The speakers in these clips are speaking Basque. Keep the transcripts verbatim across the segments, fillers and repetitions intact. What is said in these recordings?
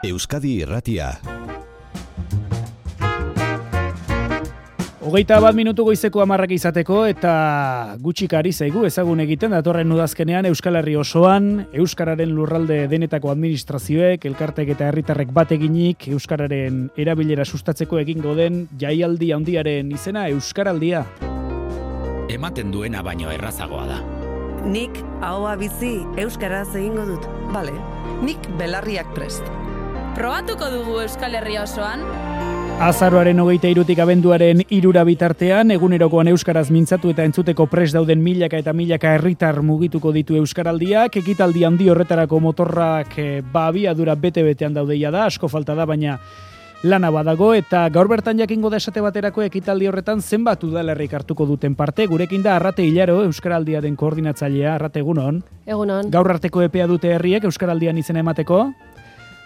Euskadi Irratia. Hogeita bat minutu goizeko hamarrak izateko eta gutxik ari zaigu ezagun egiten datorren udazkenean Euskal Herri osoan euskararen lurralde denetako administrazioek, elkartek eta herritarrek bat eginik euskararen erabilera sustatzeko egingo den jaialdi handiaren izena Euskaraldia. Ematen duena baino errazagoa da. Nik ahoa bizi euskaraz egingo dut. Bale, nik belarriak prest. Probatuko dugu Euskal Herria osoan? Azaroaren hogeita hirutik abenduaren hirura bitartean, egunerokoan euskaraz mintzatu eta entzuteko prest dauden milaka eta milaka herritar mugituko ditu Euskaraldiak. Ekitaldi handi horretarako motorrak ba abiadura bete-betean daudeia da, asko falta da, baina lana badago, eta gaur bertan jakingo da esate baterako ekitaldi horretan zenbat udalerrik hartuko duten parte. Gurekin da Arrate Hilaro, Euskaraldiaren koordinatzailea. Arrate, egunon. Egunon. Gaur arteko epea dute herriek Euskaraldian izena emateko?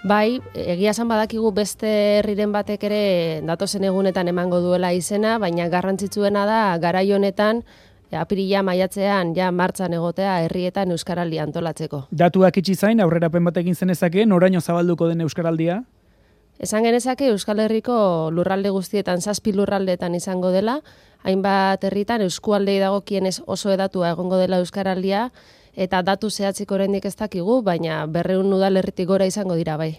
Bai, egia esan badakigu beste herriren batek ere datozen egunetan emango duela izena, baina garrantzitsuena da garai honetan apirila maiatzean ja martxan egotea herrietan Euskaraldia antolatzeko. Datuak itxi zain, aurrerapen bat egin zenezake, noraino zabalduko den Euskaraldia? Esan genezake Euskal Herriko lurralde guztietan, zazpi lurraldeetan izango dela, hainbat herritan eskualdei dagokienez oso edatua egongo dela Euskaraldia, eta datu zehatzik oraindik ez dakigu, baina berrehun udalerritik gora izango dira bai.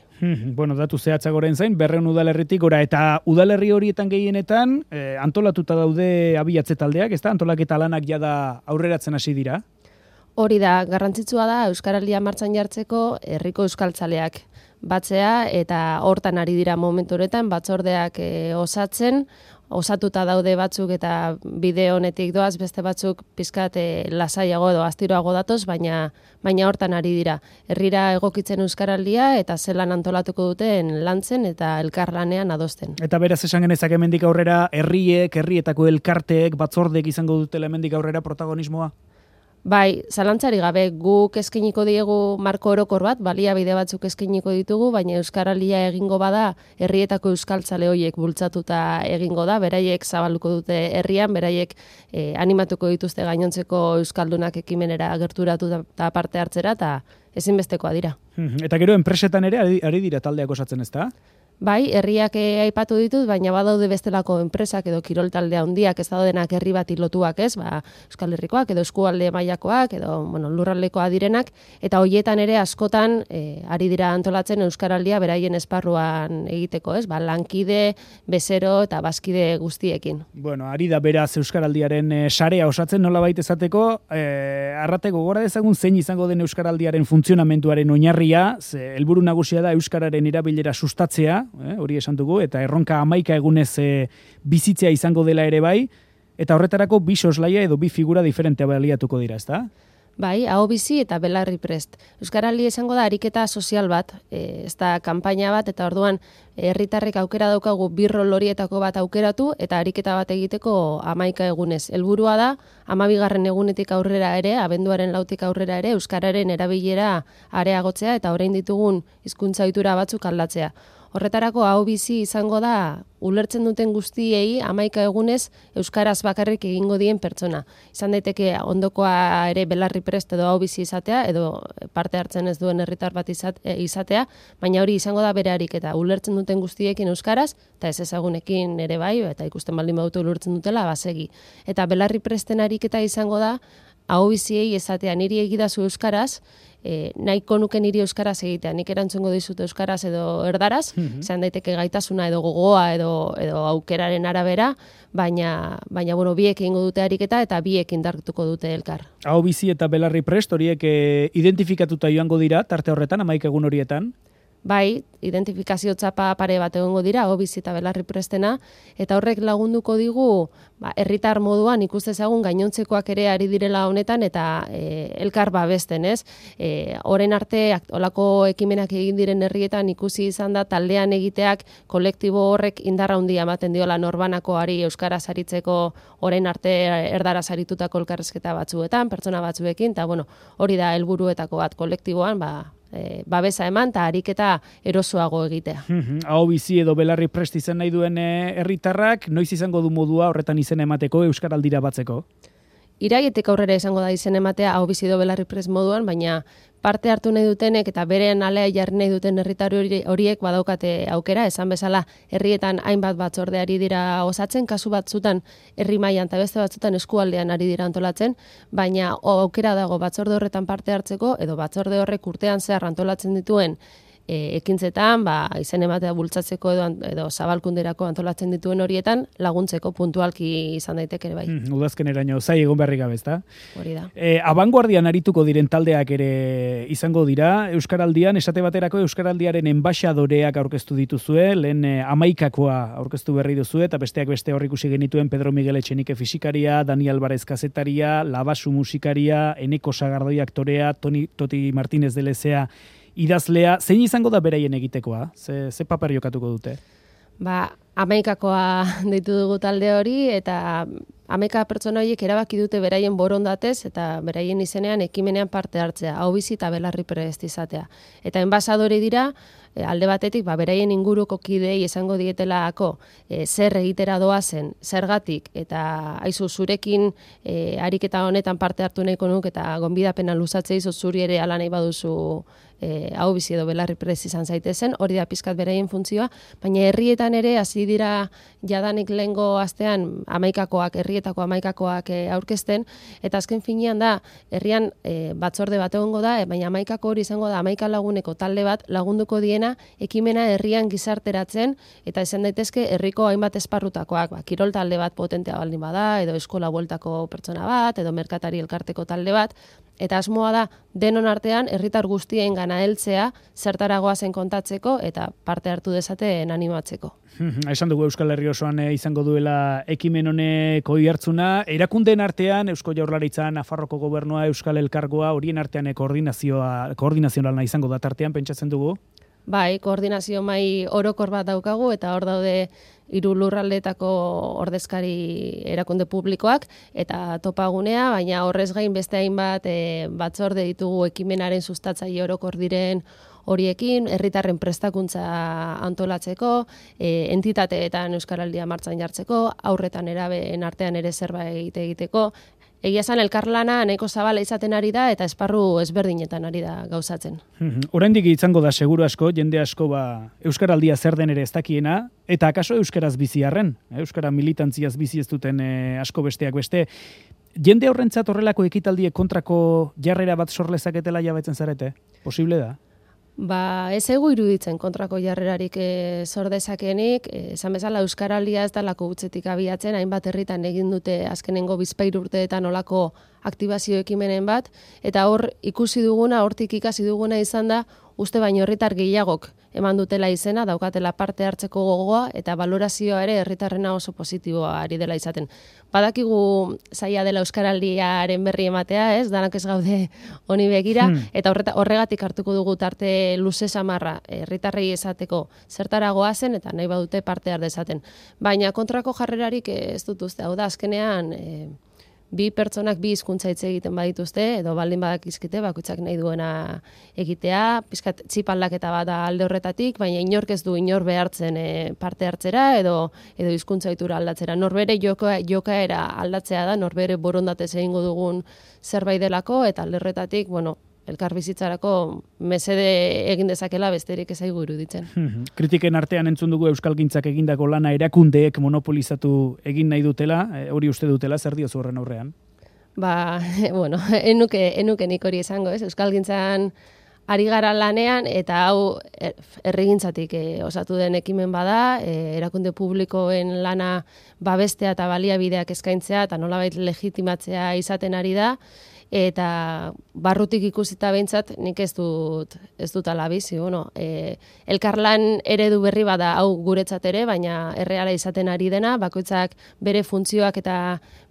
Bueno, datu zehatzak goren zain, berrehun udalerritik gora, eta udalerri horietan gehienetan eh, antolatuta daude abiatze taldeak, ez da? Antolaketa lanak jada aurreratzen hasi dira? Hori da, garrantzitsua da Euskaraldia martxan jartzeko herriko euskaltzaleak batzea, eta hortan ari dira momentu horretan, batzordeak e, osatzen, osatuta daude batzuk eta bide honetik doaz, beste batzuk pizkat e, lasaiago edo astiroago datoz, baina baina hortan ari dira. Herrira egokitzen Euskaraldia eta zelan antolatuko duten lantzen eta elkarlanean adosten. Eta beraz esan genezak hemendik aurrera herriek, herrietako elkarteek, batzordeek izango dutela hemendik aurrera protagonismoa? Bai, zalantzari gabe guk eskainiko diegu marko orokor bat, baliabide batzuk eskainiko ditugu, baina Euskaraldia egingo bada herrietako euskaltzale horiek bultzatuta egingo da, beraiek zabaluko dute herrian, beraiek eh, animatuko dituzte gainontzeko euskaldunak ekimenera gerturatu eta parte hartzera, eta ezinbestekoa dira. Eta gero enpresetan ere ari, ari dira taldeak osatzen, ezta? Bai, herriak aipatu ditut, baina badaude bestelako enpresak edo kirol taldea handiak ez daudenak herri bati lotuak, ez? Ba, Euskal Herrikoak edo eskualde mailakoak edo, bueno, lurraldekoa direnak, eta hoietan ere askotan e, ari dira antolatzen Euskaraldia beraien esparruan egiteko, ez? Ba, lankide, bezero eta bazkide guztiekin. Bueno, ari da beraz Euskaraldiaren e, sarea osatzen nolabait esateko, e, Arrate, gogora dezagun zein izango den Euskaraldiaren funtzionamenduaren oinarria, ze helburu nagusia da euskararen erabilera sustatzea, Eh, hori esan dugu, eta erronka hamaika egunez eh, bizitzea izango dela ere bai, eta horretarako bi soslaia edo bi figura diferentea baliatuko dira, ezta? Bai, aho bizi eta belarri prest. Euskaraldia izango da ariketa sozial bat, e, ez da kanpaina bat, eta orduan herritarrek aukera daukagu birrol horietako bat aukeratu, eta ariketa bat egiteko hamaika egunez. Helburua da, hamabigarren egunetik aurrera ere, abenduaren lautik aurrera ere, euskararen erabilera areagotzea, eta orain ditugun hizkuntza ohitura batzuk aldatzea. Horretarako aho bizi izango da ulertzen duten guztiei hamaika egunez euskaraz bakarrik egingo dien pertsona. Izan daiteke ondokoa ere belarri prest edo aho bizi izatea edo parte hartzen ez duen herritar bat izatea, baina hori izango da bere ariketa. Ulertzen duten guztiekin euskaraz eta ez ezagunekin ere bai, eta ikusten baldin badute ulertzen dutela basegi. Eta belarri presten ariketa izango da aho biziei esatea niri egidazu euskaraz, E, nahiko nuke niri euskaraz egitea, nik erantzungo dizut euskaraz edo erdaraz, mm-hmm. izan daiteke gaitasuna edo gogoa edo, edo aukeraren arabera, baina, baina bueno, biek egingo dute ariketa eta biek indartuko dute elkar. Aho bizi eta belarri prest horiek e, identifikatuta joango dira, tarte horretan, hamaika egun horietan? Bai, identifikazio txapa pare bat egongo dira, aho bizi eta belarri prestena, eta horrek lagunduko digu, ba, herritar moduan ikustezagun gainontzekoak ere ari direla honetan, eta e, elkar babesten, ez? E, orain arte, olako ekimenak egin diren herrietan ikusi izan da, taldean egiteak kolektibo horrek indarra handia ematen diola norbanakoari euskaraz aritzeko orain arte erdaraz aritutako elkarrizketa batzuetan, pertsona batzuekin, eta bueno, hori da helburuetako bat kolektiboan, ba, E, babesa eman eta ariketa erosoago egitea. Aho bizi edo belarri prest izan nahi duen herritarrak, noiz izango du modua horretan izena emateko Euskaraldira batzeko? Iraietik aurrera izango da izen ematea hau bizi do Belarri Prest moduan, baina parte hartu nahi dutenek eta beren alea jarri nahi duten herritarri horiek badaukate aukera, esan bezala herrietan hainbat batzorde ari dira osatzen, kasu batzutan herri mailan eta beste batzutan eskualdean ari dira antolatzen, baina aukera dago batzorde horretan parte hartzeko edo batzorde horrek urtean zehar antolatzen dituen E, ekintzetan, ba, izen ematea bultzatzeko edo, edo zabalkunderako antolatzen dituen horietan laguntzeko puntualki izan daiteke ere bai. Mm, udazkeneraino zai egon beharrik gabe, ezta? Hori da. E, abanguardian arituko diren taldeak ere izango dira, Euskaraldian, esate baterako Euskaraldiaren enbaxadoreak aurkeztu dituzue, lehen e, amaikakoa aurkeztu berri duzue, eta besteak beste hor ikusi genituen Pedro Miguel Etxenike fisikaria, Dani Alvarez kazetaria, Labasu musikaria, Eneko Sagardoi aktorea, Toni, Toti Martínez de Lezea idazlea, zein izango da beraien egitekoa? Ze, ze paper jokatuko dute? Ba, hamaikakoa deitu dugu talde hori, eta hamaika pertsona horiek erabaki dute beraien borondatez, eta beraien izenean ekimenean parte hartzea, hau bizi eta Belarri Prest izatea. Eta enbasadore dira, alde batetik, ba, beraien inguruko kidei esango dietelako e, zer egitera doazen, zergatik, eta aizu zurekin e, ariketa honetan parte hartu nahiko nuk, eta gonbidapena luzatzea izo zuri ere ala nahi baduzu e, hau bizi edo Belarri Prest izan zaitezen, hori da pizkat beraien funtzioa, baina herrietan ere hasi dira jadanik lehengo astean hamaikakoak, herrietako hamaikakoak e, aurkezten, eta azken finean da, herrian e, batzorde bat egongo da, e, baina hamaikako hori izango da hamaika laguneko talde bat lagunduko diena ekimena herrian gizarteratzen, eta izan daitezke herriko hainbat esparrutakoak, ba, kirol talde bat potentea baldin bada, edo eskola bueltako pertsona bat, edo merkatari elkarteko talde bat, eta asmoa da denon artean herritar guztien gana heltzea, zertaragoa zen kontatzeko eta parte hartu dezaten animatzeko. Esan dugu Euskal Herri osoan e, izango duela ekimen honeko ihartzuna, erakundeen artean Eusko Jaurlaritza, Nafarroko Gobernua, Euskal Elkargoa, horien artean e, koordinazioa koordinazionala izango da tartean, pentsatzen dugu? Bai, koordinazio mai orokor bat daukagu, eta hor daude hiru lurraldeetako ordezkari erakunde publikoak eta topagunea, baina horrez gain beste hainbat e, batzorde ditugu ekimenaren sustatzaile orokor diren horiekin, herritarren prestakuntza antolatzeko, e, entitateetan Euskaraldia martxan jartzeko, aurretan erabeen artean ere zerbait egiteko. Egia esan elkarlana nahiko zabala izaten ari da eta esparru ezberdinetan ari da gauzatzen. Oraindik izango da seguru asko, jende asko ba Euskaraldia zer den ere ez dakiena, eta akaso euskaraz bizi arren, euskara militantziaz bizi ez duten e, asko besteak beste. Jende horrentzat horrelako ekitaldiek kontrako jarrera bat sor lezaketela jabetzen zarete? Posible da? Ba, ez egu iruditzen kontrako jarrerarik e, sor dezakenik, esan bezala Euskaraldia ez dalako utzetik abiatzen, hainbat herritan egin dute azkenengo bizpahiru urteetan olako aktibazio ekimenen bat, eta hor ikusi duguna, hortik ikasi duguna izan da, uste baino herritar gehiagok eman dutela izena, daukatela parte hartzeko gogoa, eta valorazioa ere herritarrena oso positiboa ari dela izaten. Badakigu zaila dela Euskaraldiaren berri ematea, ez? Danak ez gaude honi begira, hmm. eta horreta, horregatik hartuko dugu tarte luze samarra herritarrei esateko zertaragoa zen, eta nahi badute parte har dezaten. Baina kontrako jarrerarik ez dut uste, hau da azkenean e, bi pertsonak bi hizkuntza hitz egiten badituzte, edo baldin badakizkite, bakoitzak nahi duena egitea, pizkat txip aldaketa bat da alde horretatik, baina inork ez du inor behartzen e, parte hartzera, edo edo hizkuntza ohitura aldatzera. Norbere joka, jokaera aldatzea da, norbere borondatez egingo dugun zerbait delako, eta alde horretatik, bueno, elkar bizitzarako mesede egin dezakela besterik ez zaigu iruditzen. Kritiken artean entzun dugu euskalgintzak egindako lana erakundeek monopolizatu egin nahi dutela, hori uste dutela, zer diozu horren aurrean? Ba, bueno, enuke, enuke nik hori esango, ez? Euskalgintzan ari gara lanean, eta hau herrigintzatik e, osatu den ekimen bada, e, erakunde publikoen lana babestea eta baliabideak eskaintzea, eta nolabait legitimatzea izaten ari da, eta barrutik ikusita behintzat nik ez dut ez dut ala bizi, bueno, e, elkarlan eredu berri bada hau guretzat ere, baina erreala izaten ari dena, bakoitzak bere funtzioak eta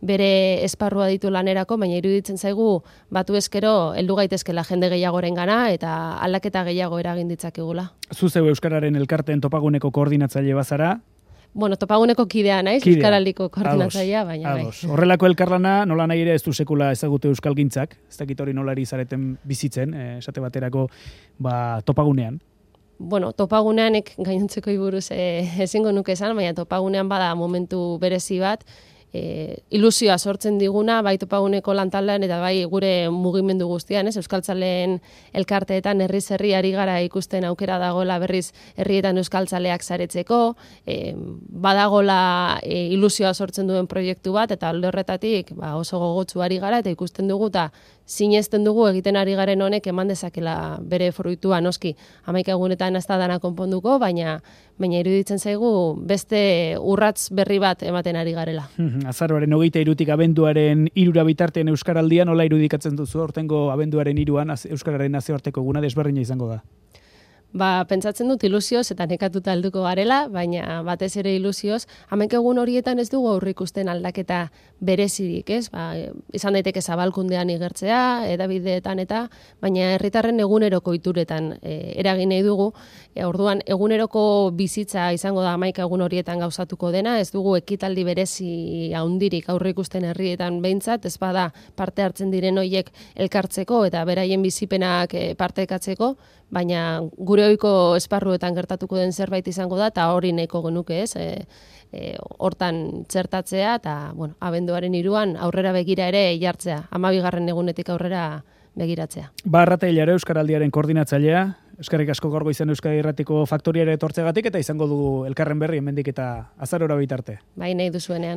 bere esparrua ditu lanerako, baina iruditzen zaigu batu eskero heldu gaitezkela jende gehiagorengana eta aldaketa gehiago eragin ditzakegula. Zu zeu euskararen elkarteen topaguneko koordinatzaile bazara? Bueno, topaguneko kidea naiz, Euskaraldiko koordinatzailea, baina bai. Horrelako elkarlana, nola nahi ere ez du sekula ezagutu euskalgintzak, ez dakit hori nolari zareten bizitzen, eh, esate baterako ba, topagunean. Bueno, topaguneanek gainontzeko buruz eh, ezingo nuke esan, baina topagunean bada momentu berezi bat, e, ilusioa sortzen diguna, bai topaguneko lantaldean eta bai gure mugimendu guztian, ez? Euskaltzaleen elkarteetan herriz herri ari gara ikusten aukera dagoela berriz herrietan euskaltzaleak saretzeko, e, badagola e, ilusioa sortzen duen proiektu bat, eta alde horretatik ba, oso gogotsu ari gara, eta ikusten dugu, eta sinesten dugu egiten ari garen honek eman dezakela bere fruitua, noski hamaika egunetan ez da dana konponduko, baina baina iruditzen zaigu beste urrats berri bat ematen ari garela. Azaroaren hogeita hirutik abenduaren hirura bitartean Euskaraldian, nola irudikatzen duzu aurtengo abenduaren hiruan Euskararen nazioarteko eguna desberdina izango da? Ba, pentsatzen dut ilusioz eta nekatuta helduko garela, baina batez ere ilusioz, hamaika egun horietan ez dugu aurreikusten aldaketa berezirik, ez? Ba, izan daiteke zabalkundean igertzea, edabideetan eta, baina herritarren eguneroko ituretan e, eragin nahi dugu. E, orduan, eguneroko bizitza izango da hamaika egun horietan gauzatuko dena, ez dugu ekitaldi berezi handirik aurreikusten herrietan behintzat, ez bada parte hartzen diren hoiek elkartzeko eta beraien bizipenak e, partekatzeko, baina gure ohiko esparruetan gertatuko den zerbait izango da, eta hori nahiko genuke, ez? E, e, hortan txertatzea, eta bueno, abenduaren hiruan aurrera begira ere jartzea, hamabigarren egunetik aurrera begiratzea. Barrate hilare Euskaraldiaren koordinatzailea, eskerrik asko gaur goizen Euskadi Irratiko faktoriara etortzegatik, eta izango dugu elkarren berri hemendik eta azarora bitarte. Bai, nahi duzuenean.